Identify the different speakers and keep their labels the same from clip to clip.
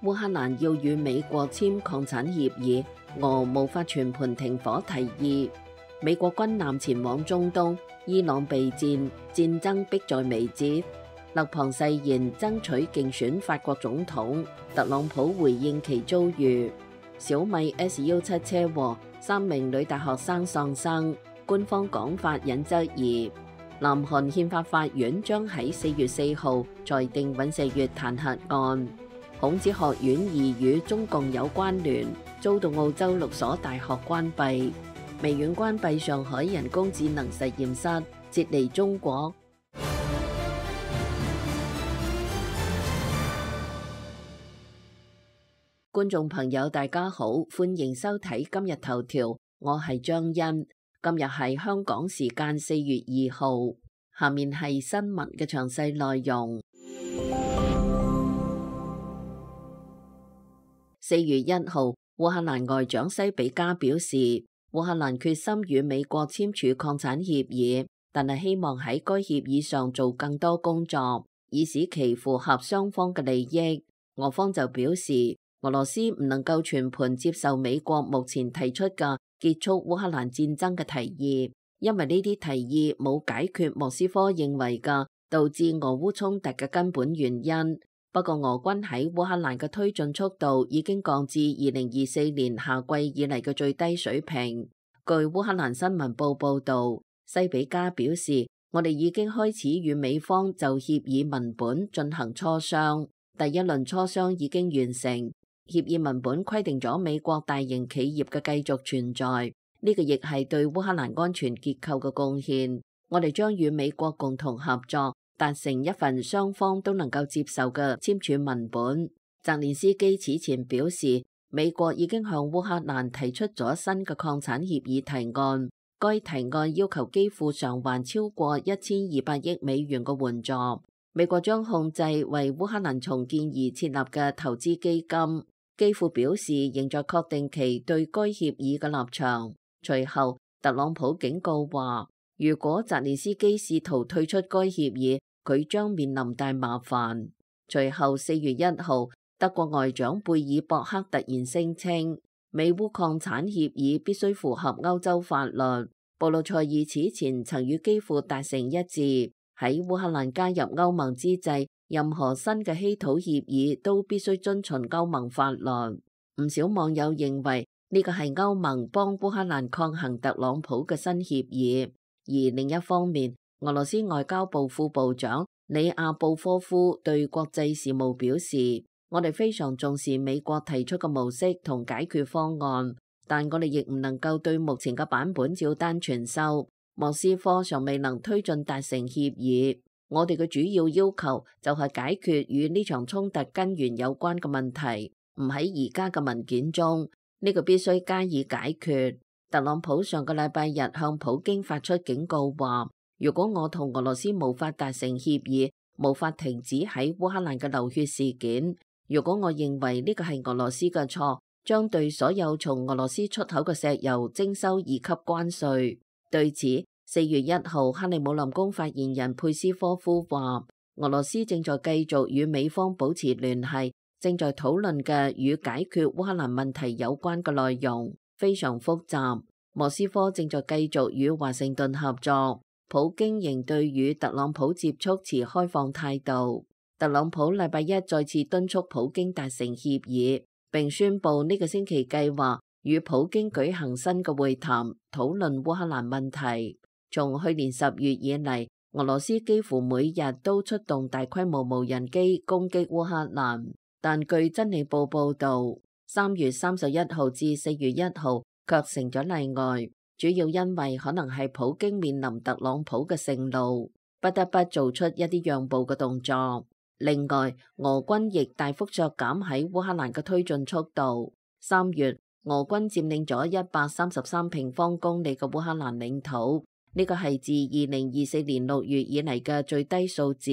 Speaker 1: 烏克蘭要與美國簽擴產協議，俄無法全盤停火提議。美國軍艦前往中東，伊朗備戰，戰爭迫在眉睫。勒龐誓言爭取競選法國總統，特朗普回應其遭遇。小米 S17 車禍，3名女大學生喪生，官方講法引質疑。南韓憲法法院將喺4月4號裁定尹錫悅彈劾案。孔子學院疑與中共有關聯，遭到澳洲6所大學關閉。微軟關閉上海人工智能實驗室，撤離中國。觀眾朋友大家好，歡迎收睇今日頭條，我係張欣。今日係香港時間4月2號，下面係新聞嘅詳細內容。4月1號，烏克蘭外長西比加表示，烏克蘭決心與美國簽署擴產協議，但係希望喺該協議上做更多工作，以使其符合雙方嘅利益。俄方就表示，俄羅斯唔能夠全盤接受美國目前提出嘅結束烏克蘭戰爭嘅提議，因為呢啲提議冇解決莫斯科認為嘅導致俄烏衝突嘅根本原因。不過俄軍喺烏克蘭嘅推進速度已經降至2024年夏季以嚟嘅最低水平。據烏克蘭新聞報報導，西比加表示，我哋已經開始與美方就協議文本進行磋商，第一輪磋商已經完成。協議文本規定咗美國大型企業嘅繼續存在，呢個亦係對烏克蘭安全結構嘅貢獻。我哋將與美國共同合作，達成一份雙方都能夠接受嘅簽署文本。澤連斯基此前表示，美國已經向烏克蘭提出咗新嘅擴產協議提案，該提案要求基輔償還超過1200億美元嘅援助。美國將控制為烏克蘭重建而設立嘅投資基金。基輔表示仍在確定其對該協議嘅立場。隨後，特朗普警告話，如果澤連斯基試圖退出該協議，佢將面臨大麻煩。隨後4月1號，德國外長貝爾博克突然聲稱，美烏擴產協議必須符合歐洲法律。布魯塞爾此前曾與基輔達成一致，喺烏克蘭加入歐盟之際，任何新嘅稀土協議都必須遵循歐盟法律。唔少網友認為呢個係歐盟幫烏克蘭抗衡特朗普嘅新協議。而另一方面，俄羅斯外交部副部長里亞布科夫對國際事務表示，我哋非常重視美國提出嘅模式同解決方案，但我哋亦唔能夠對目前嘅版本照單全收。莫斯科尚未能推進達成協議。我哋嘅主要要求就係解決與呢場衝突根源有關嘅問題，唔喺而家嘅文件中，呢個必須加以解決。特朗普上個禮拜日向普京發出警告話，如果我同俄羅斯無法達成協議，無法停止喺烏克蘭嘅流血事件，如果我認為呢個係俄羅斯嘅錯，將對所有從俄羅斯出口嘅石油徵收2級關稅。對此，4月1號，克里姆林宮發言人佩斯科夫話，俄羅斯正在繼續與美方保持聯繫，正在討論嘅與解決烏克蘭問題有關嘅內容非常複雜。莫斯科正在繼續與華盛頓合作。普京仍對與特朗普接觸持開放態度。特朗普禮拜一再次敦促普京達成協議，並宣布呢個星期計劃與普京舉行新嘅會談，討論烏克蘭問題。從去年10月以嚟，俄羅斯幾乎每日都出動大規模無人機攻擊烏克蘭，但據真理報報導，3月31號至4月1號卻成咗例外，主要因為可能係普京面臨特朗普嘅盛怒，不得不做出一啲讓步嘅動作。另外，俄軍亦大幅削減喺烏克蘭嘅推進速度。3月，俄軍佔領咗133平方公里嘅烏克蘭領土。呢個係自2024年6月以嚟嘅最低數字。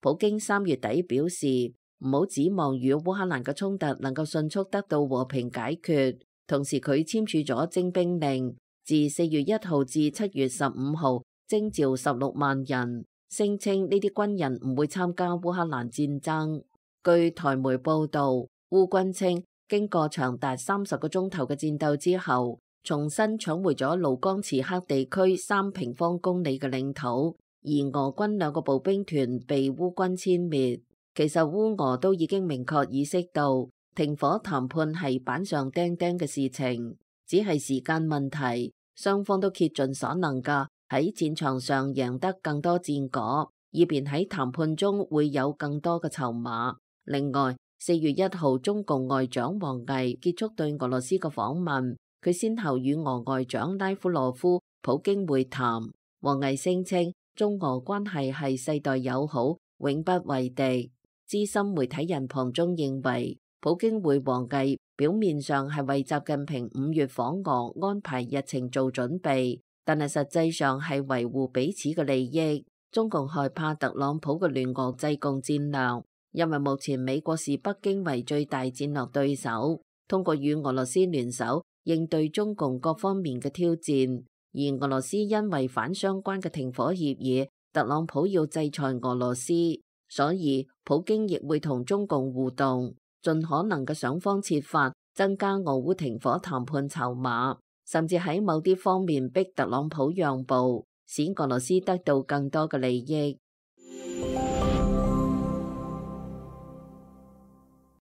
Speaker 1: 普京3月底表示，唔好指望與烏克蘭嘅衝突能夠迅速得到和平解決。同時，佢簽署咗徵兵令，自4月1號至7月15號徵召16萬人，聲稱呢啲軍人唔會參加烏克蘭戰爭。據台媒報導，烏軍稱，經過長達30個鐘頭嘅戰鬥之後，重新搶回咗盧江茨克地區3平方公里嘅領土，而俄軍2個步兵團被烏軍殲滅。其實烏俄都已經明確意識到停火談判係板上釘釘嘅事情，只係時間問題。雙方都竭盡所能㗎喺戰場上贏得更多戰果，以便喺談判中會有更多嘅籌碼。另外，4月1號，中共外長王毅結束對俄羅斯嘅訪問，佢先後與俄外長拉夫羅夫、普京會談。王毅聲稱，中俄關係係世代友好，永不為敵。資深媒體人龐中認為，普京會王毅表面上係為習近平5月訪俄安排日程做準備，但係實際上係維護彼此嘅利益。中共害怕特朗普嘅聯俄制共戰略，因為目前美國視北京為最大戰略對手，通過與俄羅斯聯手應對中共各方面嘅挑戰。而俄羅斯因違反相關嘅停火協議，特朗普要制裁俄羅斯，所以普京亦會同中共互動，盡可能嘅想方設法增加俄烏停火談判籌碼，甚至喺某啲方面逼特朗普讓步，使俄羅斯得到更多嘅利益。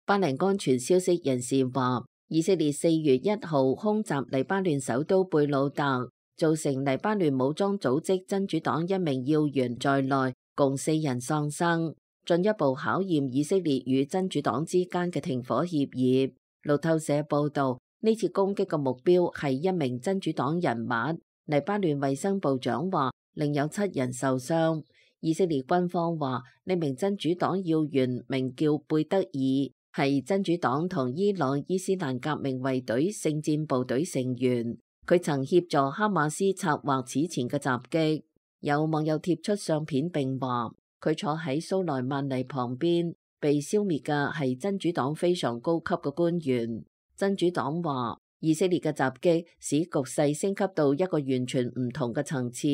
Speaker 1: 巴黎安全消息人士話，以色列4月1號空襲黎巴嫩首都貝魯特，造成黎巴嫩武裝組織真主黨1名要員在內共4人喪生，進一步考驗以色列與真主黨之間嘅停火協議。路透社報道，呢次攻擊嘅目標係1名真主黨人物。黎巴嫩衛生部長話，另有7人受傷。以色列軍方話，呢名真主黨要員名叫貝德爾，係真主黨同伊朗伊斯蘭革命衛隊聖戰部隊成員。佢曾協助哈馬斯策劃此前嘅襲擊。有網友貼出相片並話，佢坐喺蘇萊曼尼旁邊，被消滅嘅係真主黨非常高級嘅官員。真主黨話，以色列嘅襲擊使局勢升級到一個完全唔同嘅層次。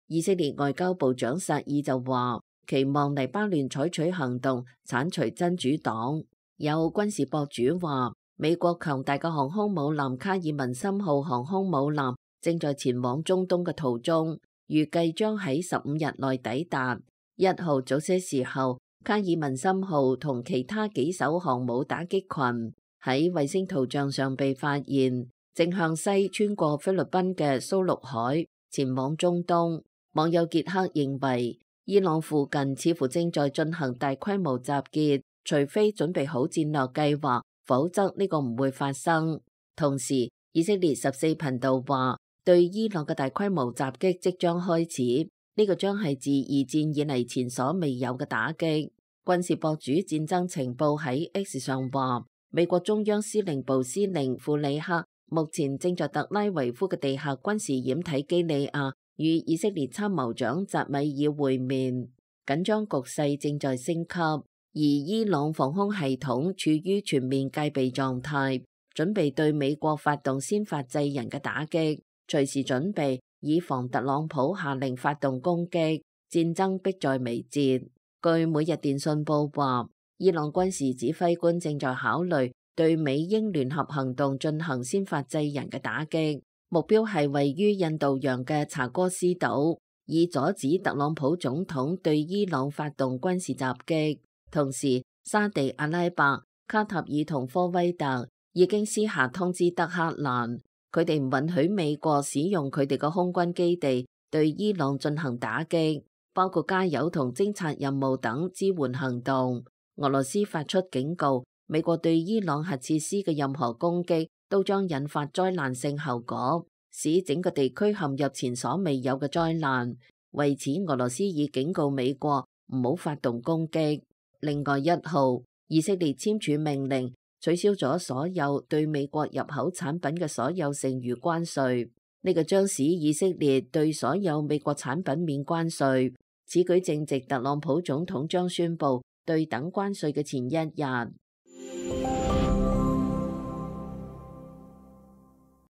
Speaker 1: 以色列外交部長薩爾就話，期望黎巴嫩採取行動剷除真主黨。有軍事博主話，美國強大嘅航空母艦卡爾文森號航空母艦正在前往中東嘅途中，預計將喺15日內抵達。1號早些時候，卡爾文森號同其他幾艘航母打擊群喺衛星圖像上被發現，正向西穿過菲律賓嘅蘇祿海前往中東。網友傑克認為，伊朗附近似乎正在進行大規模集結，除非準備好戰略計劃，否則呢個唔會發生。同時，以色列14頻道話，對伊朗嘅大規模襲擊即將開始，呢個將係自2戰以嚟前所未有嘅打擊。軍事博主戰爭情報喺 X 上話，美國中央司令部司令庫里克目前正在特拉維夫嘅地下軍事掩體基利亞與以色列參謀長扎米爾會面，緊張局勢正在升級，而伊朗防空系統處於全面戒備狀態，準備對美國發動先發制人嘅打擊，隨時準備以防特朗普下令發動攻擊，戰爭迫在眉睫。據每日電訊報話，伊朗軍事指揮官正在考慮對美英聯合行動進行先發制人嘅打擊。目標係位於印度洋嘅查戈斯島，以阻止特朗普總統對伊朗發動軍事襲擊。同時，沙地阿拉伯、卡塔爾同科威特已經私下通知德黑蘭，佢哋唔允許美國使用佢哋嘅空軍基地對伊朗進行打擊，包括加油同偵察任務等支援行動。俄羅斯發出警告，美國對伊朗核設施嘅任何攻擊都將引發災難性後果，使整個地區陷入前所未有嘅災難。為此，俄羅斯已警告美國唔好發動攻擊。另外1號，以色列簽署命令，取消咗所有對美國入口產品嘅所有剩餘關稅。呢個將使以色列對所有美國產品免關稅。此舉正值特朗普總統將宣布對等關稅嘅前一日。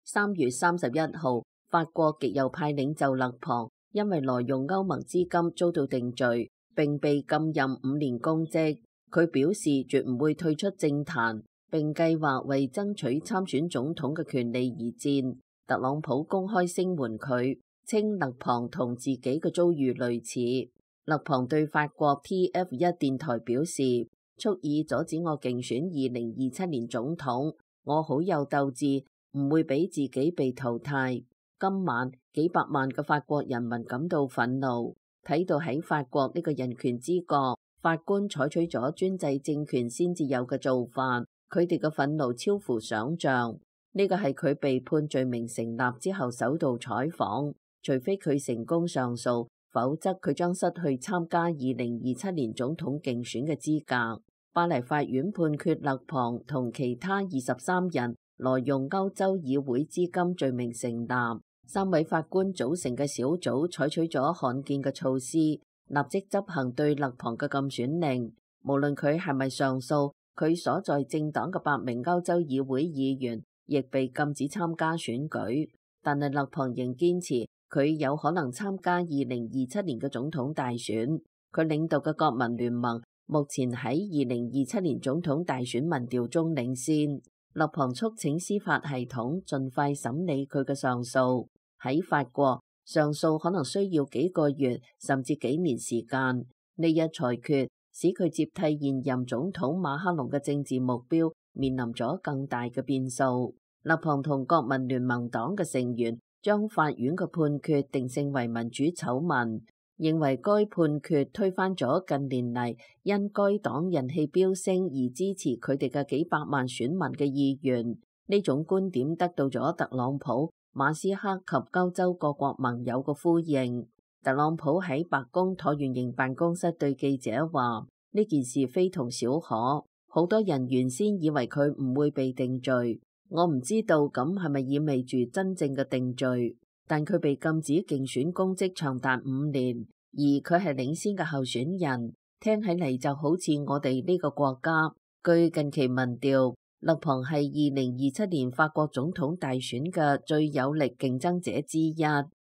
Speaker 1: 3月31號，法國極右派領袖勒龐因為挪用歐盟資金遭到定罪，並被禁任5年公職。佢表示絕唔會退出政壇，並計劃為爭取參選總統嘅權利而戰。特朗普公開聲援佢，稱勒龐同自己嘅遭遇類似。勒龐對法國 TF1 電台表示，蓄意阻止我競選2027年總統，我好有鬥志，唔會俾自己被淘汰。今晚幾百萬嘅法國人民感到憤怒，睇到喺法國呢個人權之國，法官採取咗專制政權先至有嘅做法，佢哋嘅憤怒超乎想象。呢個係佢被判罪名成立之後首度採訪，除非佢成功上訴，否則佢將失去參加2027年總統競選嘅資格。巴黎法院判決勒龐同其他23人挪用歐洲議會資金罪名成立。3位法官組成嘅小組採取咗罕見嘅措施，立即執行對勒龐嘅禁選令。無論佢係咪上訴，佢所在政黨嘅8名歐洲議會議員亦被禁止參加選舉。但係勒龐仍堅持佢有可能參加2027年嘅總統大選。佢領導嘅國民聯盟目前喺2027年總統大選民調中領先。勒龐促請司法系統盡快審理佢嘅上訴。喺法國，上訴可能需要幾個月甚至幾年時間。呢一裁決使佢接替現任總統馬克龍嘅政治目標面臨咗更大嘅變數。勒龐同國民聯盟黨嘅成員將法院嘅判決定性為民主醜聞，認為該判決推翻咗近年嚟因該黨人氣飆升而支持佢哋嘅幾百萬選民嘅意願。呢種觀點得到咗特朗普、馬斯克及歐洲各國盟友嘅呼應。特朗普喺白宮橢圓形辦公室對記者話：呢件事非同小可，好多人原先以為佢唔會被定罪，我唔知道咁係咪意味住真正嘅定罪。但佢被禁止競選公職長達5年，而佢係領先嘅候選人，聽起嚟就好似我哋呢個國家。據近期民調，勒龐係2027年法國總統大選嘅最有力競爭者之一。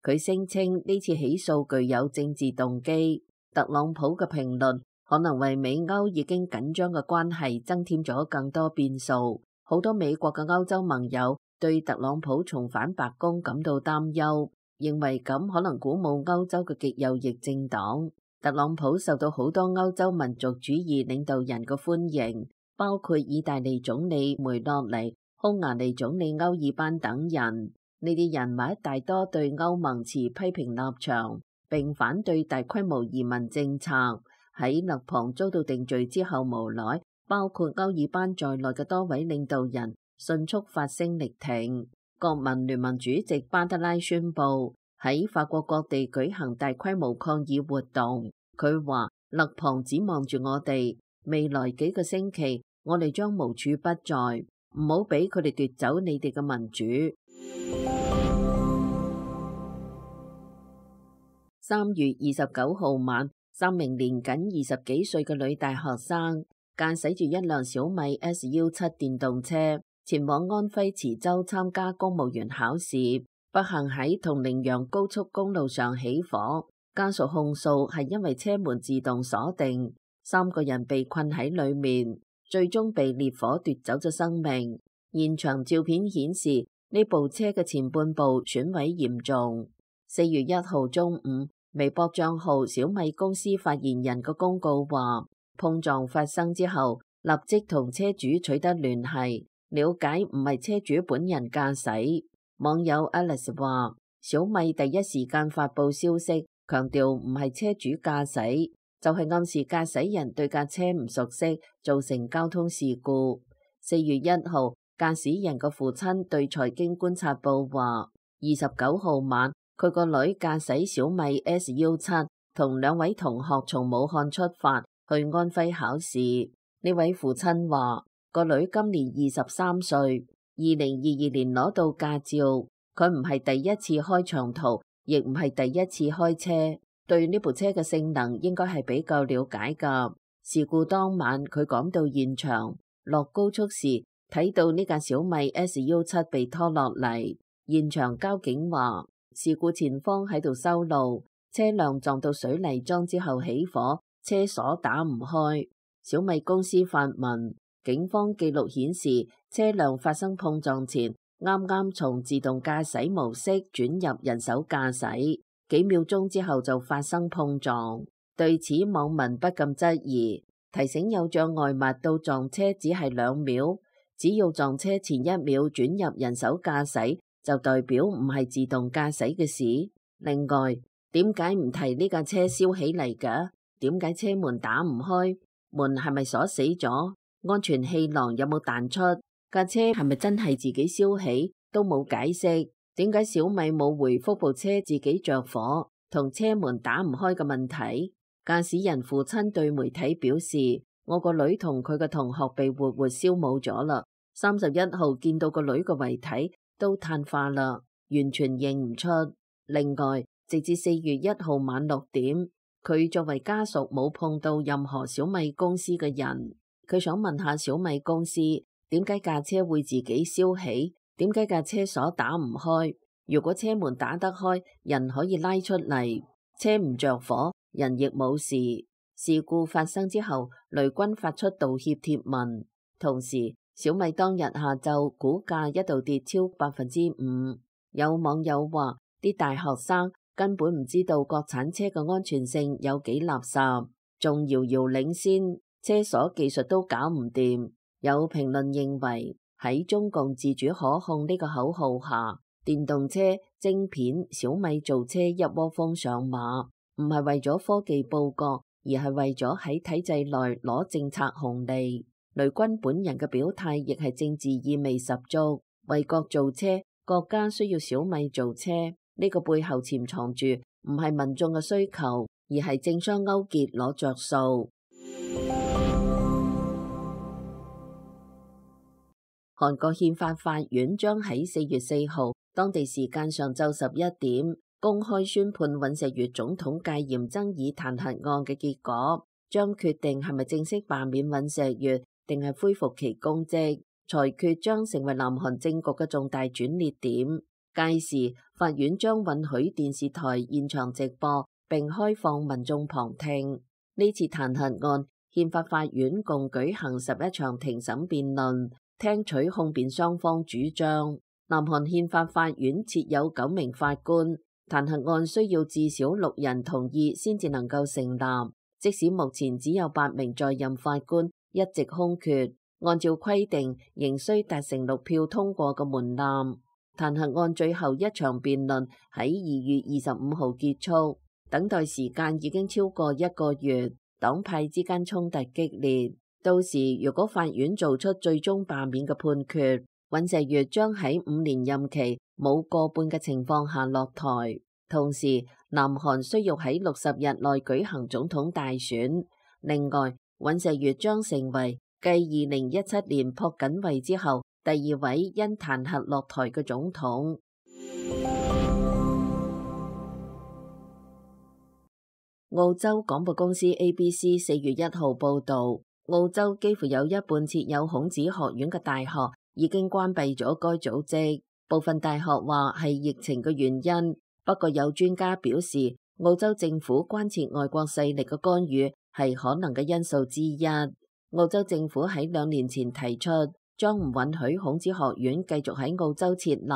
Speaker 1: 佢聲稱呢次起訴具有政治動機。特朗普嘅評論可能為美歐已經緊張嘅關係增添咗更多變數。好多美國嘅歐洲盟友對特朗普重返白宮感到擔憂，認為咁可能鼓舞歐洲嘅極右翼政黨。特朗普受到好多歐洲民族主義領導人嘅歡迎，包括意大利總理梅洛尼、匈牙利總理歐爾班等人。呢啲人物大多對歐盟持批評立場，並反對大規模移民政策。喺勒龐遭到定罪之後，無奈包括歐爾班在內嘅多位領導人迅速發聲力挺。國民聯盟主席巴德拉宣布喺法國各地舉行大規模抗議活動。佢話：勒龐指望住我哋，未來幾個星期我哋將無處不在，唔好俾佢哋奪走你哋嘅民主。3月29號晚，3名年僅20幾歲嘅女大學生駕駛住一輛小米 SU7 電動車前往安徽池州參加公務員考試，不幸喺銅陵陽高速公路上起火。家屬控訴係因為車門自動鎖定，3個人被困喺裏面，最終被烈火奪走咗生命。現場照片顯示呢部車嘅前半部損毀嚴重。4月1號中午，微博賬號小米公司發言人嘅公告話，碰撞發生之後，立即同車主取得聯繫，了解唔係車主本人駕駛。網友 Alice 話，小米第一時間發佈消息，強調唔係車主駕駛，就係暗示駕駛人對架車唔熟悉，造成交通事故。4月1號，駕駛人嘅父親對財經觀察報話，29號晚，佢個女駕駛小米 SU7 同2位同學從武漢出發去安徽考試。呢位父親話，個女今年23歲，2022年攞到駕照，佢唔係第一次開長途，亦唔係第一次開車，對呢部車嘅性能應該係比較了解㗎。事故當晚佢趕到現場，落高速時睇到呢架小米 SU7 被拖落嚟。現場交警話，事故前方喺度修路，車輛撞到水泥樁之後起火，車鎖打唔開。小米公司發文警方記錄顯示，車輛發生碰撞前，啱啱從自動駕駛模式轉入人手駕駛，幾秒鐘之後就發生碰撞。對此，網民不禁質疑，提醒有障礙物到撞車只係2秒，只要撞車前1秒轉入人手駕駛，就代表唔係自動駕駛嘅事。另外，點解唔提呢架車燒起嚟㗎？點解車門打唔開？門係咪鎖死咗？安全氣囊有冇彈出？架車係咪真係自己燒起？都冇解釋。點解小米冇回覆部車自己着火同車門打唔開嘅問題？駕駛人父親對媒體表示：我個女同佢嘅同學被活活燒冇咗啦。31號見到個女嘅遺體都碳化啦，完全認唔出。另外，直至4月1號晚6點，佢作為家屬冇碰到任何小米公司嘅人。佢想問下小米公司，點解架車會自己燒起？點解架車鎖打唔開？如果車門打得開，人可以拉出嚟，車唔着火，人亦冇事。事故發生之後，雷軍發出道歉貼文。同時，小米當日下晝股價一度跌超5%。有網友話，啲大學生根本唔知道國產車嘅安全性有幾垃圾，仲遙遙領先，車鎖技術都搞唔掂。有評論認為，喺中共自主可控呢個口號下，電動車晶片小米造車一窩蜂上馬，唔係為咗科技報國，而係為咗喺體制內攞政策紅利。雷軍本人嘅表態亦係政治意味十足，為國造車，國家需要小米造車，呢個背後潛藏住唔係民眾嘅需求，而係政商勾結攞着數。韓國憲法法院將喺4月4號當地時間上晝11點公開宣判尹錫悅總統戒嚴爭議彈劾案嘅結果，將決定係咪正式罷免尹錫悅定係恢復其公職。裁決將成為南韓政局嘅重大轉捩點。屆時，法院將允許電視台現場直播並開放民眾旁聽。呢次彈劾案，憲法法院共舉行11場庭審辯論，聽取控辯雙方主張。南韓憲法法院設有9名法官，彈劾案需要至少6人同意先至能夠成立。即使目前只有8名在任法官，一直空缺，按照規定仍需達成6票通過嘅門檻。彈劾案最後一場辯論喺2月25號結束，等待時間已經超過1個月，黨派之間衝突激烈。到時如果法院做出最終罷免嘅判決，尹錫悅將喺5年任期冇過半嘅情況下落台。同時，南韓需要喺60日內舉行總統大選。另外，尹錫悅將成為繼2017年朴槿惠之後第2位因彈劾落台嘅總統。澳洲廣播公司 ABC 4月1號報導，澳洲幾乎有一半設有孔子學院嘅大學已經關閉咗該組織。部分大學話係疫情嘅原因，不過有專家表示，澳洲政府關切外國勢力嘅干預係可能嘅因素之一。澳洲政府喺2年前提出，將唔允許孔子學院繼續喺澳洲設立。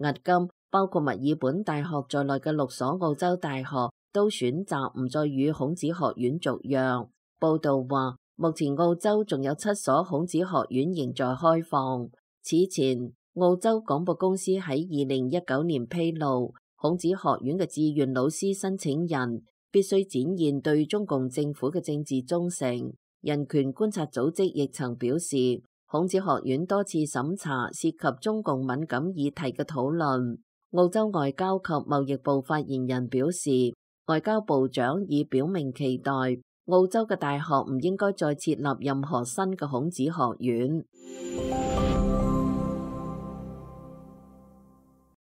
Speaker 1: 迄今，包括墨爾本大學在內嘅6所澳洲大學都選擇唔再與孔子學院續約。報道話，目前澳洲仲有7所孔子學院仍在開放。此前，澳洲廣播公司喺2019年披露，孔子學院嘅志願老師申請人必須展現對中共政府嘅政治忠誠。人權觀察組織亦曾表示，孔子學院多次審查涉及中共敏感議題嘅討論。澳洲外交及貿易部發言人表示，外交部長已表明期待澳洲嘅大學唔應該再設立任何新嘅孔子學院。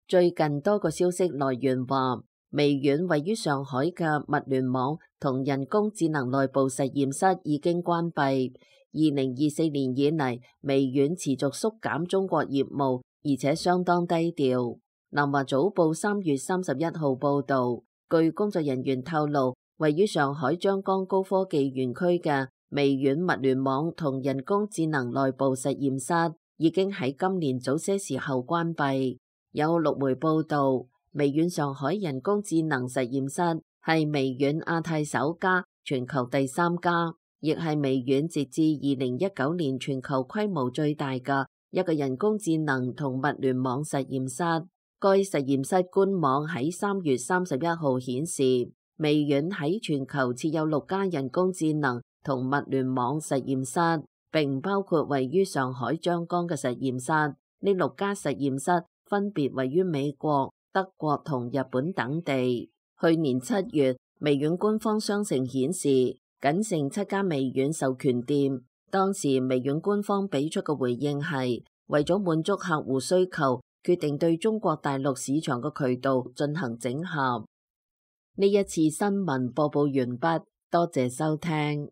Speaker 1: 最近多個消息來源話，微軟位於上海嘅物聯網同人工智能內部實驗室已經關閉。2024年以嚟，微軟持續縮減中國業務，而且相當低調。南華早報3月31號報導，據工作人員透露，位於上海張江高科技園區嘅微軟物聯網同人工智能內部實驗室已經喺今年早些時候關閉。有陸媒報道，微軟上海人工智能實驗室係微軟亞太首家、全球第3家，亦係微軟截至2019年全球規模最大嘅一個人工智能同物聯網實驗室。該實驗室官網喺3月31號顯示，微軟喺全球設有6家人工智能同物聯網實驗室，並唔包括位於上海張江嘅實驗室。呢6家實驗室分別位於美國、德國同日本等地。去年7月，微軟官方商城顯示，僅剩7家微軟授權店。當時微軟官方俾出嘅回應係，為咗滿足客戶需求，決定對中國大陸市場嘅渠道進行整合。呢一次新聞播報完畢，多謝收聽。